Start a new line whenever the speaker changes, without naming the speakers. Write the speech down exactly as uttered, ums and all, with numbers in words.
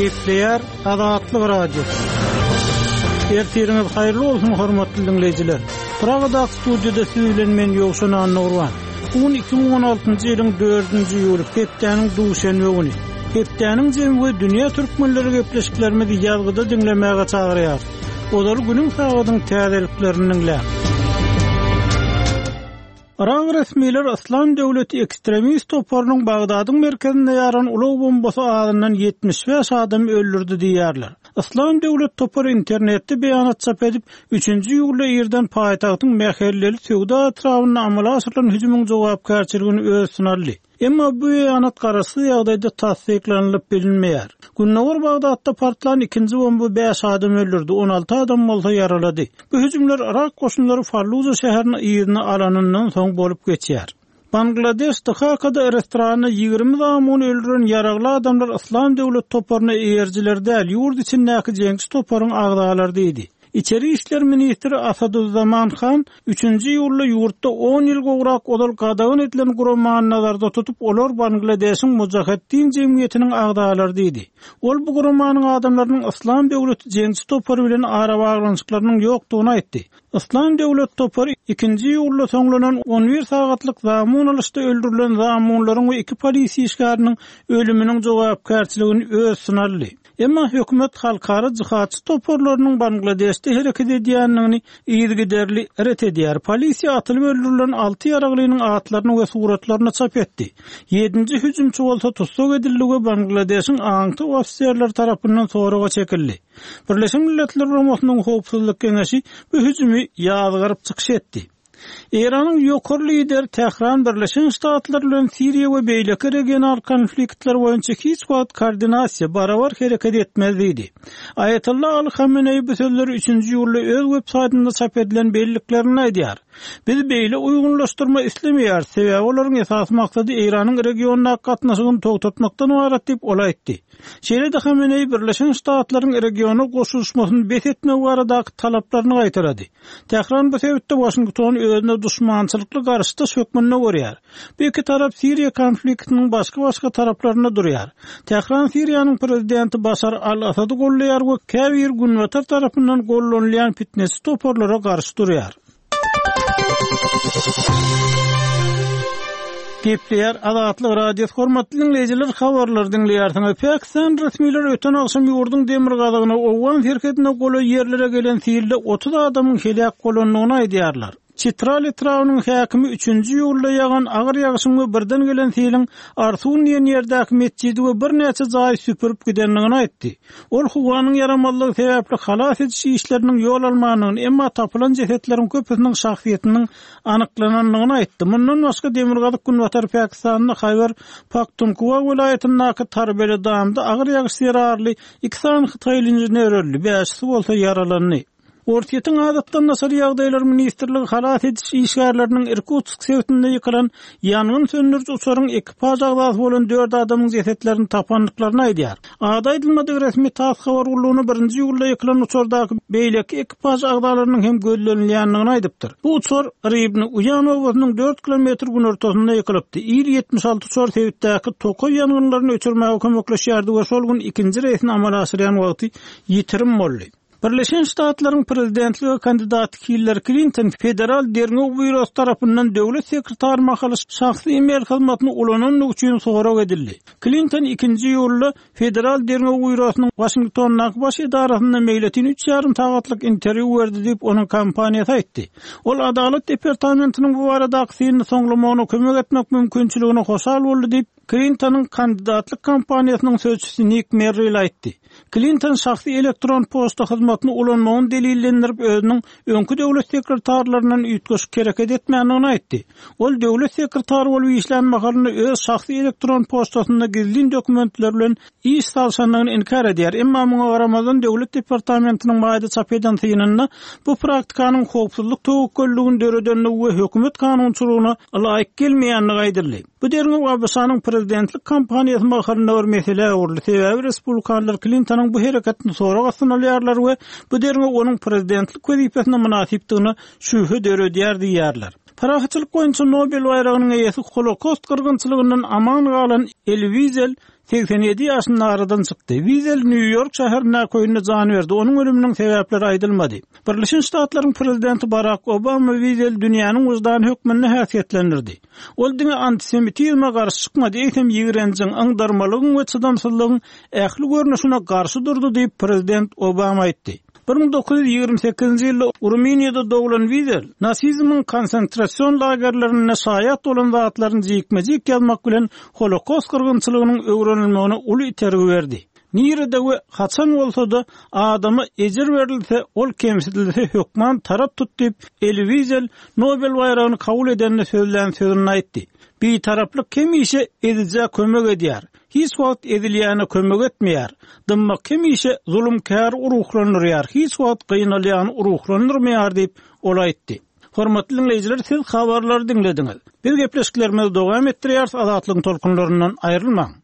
Gepleýär Azatlyk Radiosy. Ertiriňiz haýyrly bolsun hormatly dinleýjiler. Pragadaky studiýada siz bilen men Ýowşan Annagurban. Bu gün iki müň on altynjy ýylyň dördünji iýuly, hepdäniň duşenbe güni. Hepdäniň jemi we dünýä türkmenleri gepleşiklerimizi ýazgyda diňlemäge çagyrýar. Ozaly günüň sagadyň täzeliklerini diňläň. Irak resmiler Yslam döwleti ekstremist toparynyň Bagdadyň merkezinde ýaran ulag bombasy azyndan ýetmiş bäş adam öldürdi diýýärler. Yslam döwlet topary internetde beýanat çap edip, üçünji iýulda irden paýtagtyň mähelleli söwda etrabynda amala aşyrylan hüjümiň jogapkärçiligini öz üstüne aldy. Emma bu beýanat garaşsyz ýagdaýda tassyklanylyp bilinmeýär. Gündogar Bagdatda partlan ikinji bomba bäş adam öldürdi, on alty adam bolsa ýaralady. Bu hüjümler Irak goşunlary Falluja şäherini yzyna alanyndan soň bolup geçýär. Bangladeş Dhakada restoranda ýigrimi zamun öldüren ýaragly adamlar Yslam döwlet toparyna eýerjiler däl, ýurt içindäki jeňçi toparyň agzalary diýdi. Içeri işler ministri Asaduzzaman Han üçünji iýulda ýurtda on ýyl gowrak ozal gadagan edilen guramany nazarda tutup, olar Bangladeşiň Mujaheddin jemgyýetiniň agzalary diýdi. Ol bu guramanyň adamlarynyň Yslam döwleti jeňçi topary bilen arabaglanyşyklarynyň ýokdugyny aýtdy. Yslam döwlet topary ikinji iýulda soňlanan on bir sagatlyk zamun alyşda öldürilen zamunlaryň we iki polisiýa işgäriniň ölüminiň jogapkärçiligini öz üstüne aldy. Emma hökümet halkara jihatçy toparlarynyň Bangladeşde hereket edýändigini yzygiderli ret edýär. Polisiýa atylyp öldürilen alty ýaraglynyň atlaryny we suratlaryny çap etdi. Ýedinji hüjümçi bolsa tussag edildi we Bangladeşiň aňty ofiserleri tarapyndan soraga çekildi. Birleşen Milletler Guramasynyň Howpsuzlyk Geňeşi bu hüjümi ýazgaryp çykyş etdi. Eýranyň ýokary lideri Tähran Birleşen Ştatlar bilen Siriýa we beýleki regional konfliktler boýunça hiç wagt koordinasiýa barabar hereket etmez diýdi. Aýatollah Ali Hameneý bu sözleri üçünji iýulda öz web saýtynda çap edilen belliklerinde aýdýar. Biz beýle uýgunlaşdyrma islemeýäris, sebäbi olaryň esasy maksady Eýranyň regiondaky gatnaşygyny togtatmakdan ybarat diýip ol aýtdy. Şeýle-de Hameneý Birleşen Ştatlaryň regiona goşulyşmasyny bes etmek baradaky talaplaryny gaýtarady. Tähran bu sebitde Washingtony özüne düşmançylykly garşydaş hökmünde görýär. Bu iki tarap Siriýa konfliktiniň başga-başga taraplarynda durýar. Tähran Siriýanyň prezidenti Başar al-Asady gollaýar we käbir günbatar tarapyndan gollanylýan fitness toparlara garşy durýar. Gepleýär Azatlyk Radiosy hormatly dinleýjiler, habarlar diňleýärsiňiz. Pakistan resmileri öten agşam ýurduň demirgazygyna Owgan serhedine golaý ýerlere gelen silde otuz adamyň heläk bolandygyny aýdýarlar. Çitral etrabynyň häkimi üçünji iýulda ýagan agyr ýagyşyň we birden gelen siliň Arsun diýen ýerdäki metjidi we birnäçe jaýy süpürip gidendigini aýtdy. Ol howanyň ýaramazlygy sebäpli halas ediş işleriniň ýol almandygyny, emma tapylan jesetleriň köpüsiniň şahsyýetiniň anyklanandygyny aýtdy. Mundan başga Demirgazyk Günbatar Pakistanda Haýbar Pakhtunkhwa welaýatyndaky Tarbele damda agyr ýagyş zerarly iki sany Hytaýly inžener öldi, bäşisi bolsa ýaralandy. Orsýetiň adatdan daşary ýagdaýlar ministrligi halas ediş işgärleriniň Irkutsk sebitinde ýykylan ýangyn söndüriji uçaryň ekipaž agzasy bolan dört adamyň jesetlerini tapandyklaryny aýdýar. Ady aýdylmadyk resmi TASS habar gullugyna birinji iýulda ýykylan uçardaky beýleki ekipaž agzalarynyň hem gözlenilýändigini aýdypdyr. Bu uçar Ribni Uýan obasynyň dört kilometr günortasynda ýykylypdy. Il ýetmiş alty uçar sebitdäki tokaý ýangynlaryny öçürmäge kömekleşýärdi we şol gün ikinji reýsini amala aşyrýan wagty ýitirim boldy. Birleşen Ştatlaryň prezidentlige kandidaty Hillary Clinton Federal Derňew Býurosy tarapyndan döwlet sekretary mahaly şahsy e-mail hyzmatyny ulanandygy üçin sorag edildi. Clinton ikinji iýulda Federal Derňew Býurosynyň Washingtondaky baş edarasynda meýletin üç ýarym sagatlyk interwýu berdi diýip onuň kompaniýasy aýtdy. Ol Adalat departamentiniň bu baradaky synyny soňlamagyna kömek etmek mümkinçiligine hoşal boldy diýip Clintonyň kandidatlyk kampaniýasynyň sözçüsi Nick Merrill aýtdy. Clinton şahsy elektron poçta hyzmatyny ulanmagyny delillendirip özüniň öňki döwlet sekretarlaryndan üýtgeşik hereket etmändigini aýtdy. Ol döwlet sekretary bolup işlän mahalynda öz şahsy elektron poçtasynda gizlin dokumentler bilen iş salşandygyny inkar edýär. Emma muňa garamazdan döwlet departamentiniň maýda çap eden synynda bu praktikanyň howpsuzlyk töwekgelligini döredenligi we hökümet kanunçylygyna laýyk gelmeýändigi aýdyldy. Bu derňew ABŞ-nyň prezidentlik kampaniýasy mahalynda bir mesele öwrüldi. Sebäbi respublikanlar Clintonyň bu hereketini sorag astyna alýarlar we bu derňew onuň prezidentlik wezipesine mynasypdygyna şübhe döredýär diýýärler. Parahatçylyk boýunça Nobel baýragynyň eýesi Holokost gyrgynçylygyndan aman galan Eli Wizel segsen ýedi ýaşynda aradan çykdy. Wizel Nýu-Ýork şäherindäki öýünde jan berdi. Onuň ölüminiň sebäpleri aýdylmady. Birleşen Ştatlaryň prezidenti Barak Obama Wizeli dünýäniň wyždany hökmünde häsiýetlendirdi. Ol diňe antisemitizme garşy çykmady, eýsem ýigrenjiň, yňdarmalygyň we çydamsyzlygyň ähli görnüşine garşy durdy diýip, prezident Obama aýtdy. Bir müň dokuz ýüz ýigrimi sekizinji ýylda Rumyniýada doglan Wizel nasizmiň konsentrasion lagerlerinde şaýat bolan zatlaryny jikme-jik ýazmak bilen Holokost gyrgynçylygynyň öwrenilmegine uly itergi berdi. Nirede we haçan bolsa-da adama ejir berilse, ol kemsidilse hökman tarap tut diýip, Eli Wizel Nobel baýragyny kabul edende sözlän sözünde aýtdy. Bitaraplyk hemişe ezijä kömek edýär. Hiç wagt ezilýäne kömek etmeýär. Dymmak hemişe zulumkäri ruhlandyrýar, hiç wagt gynalýany ruhlandyrmaýar diýip, ol aýtdy. Hormatly diňleýjiler, siz habarlary diňlediňiz. Biz gepleşiklerimizi dowam etdirýäris, Azatlygyň tolkunlaryndan aýrylmaň.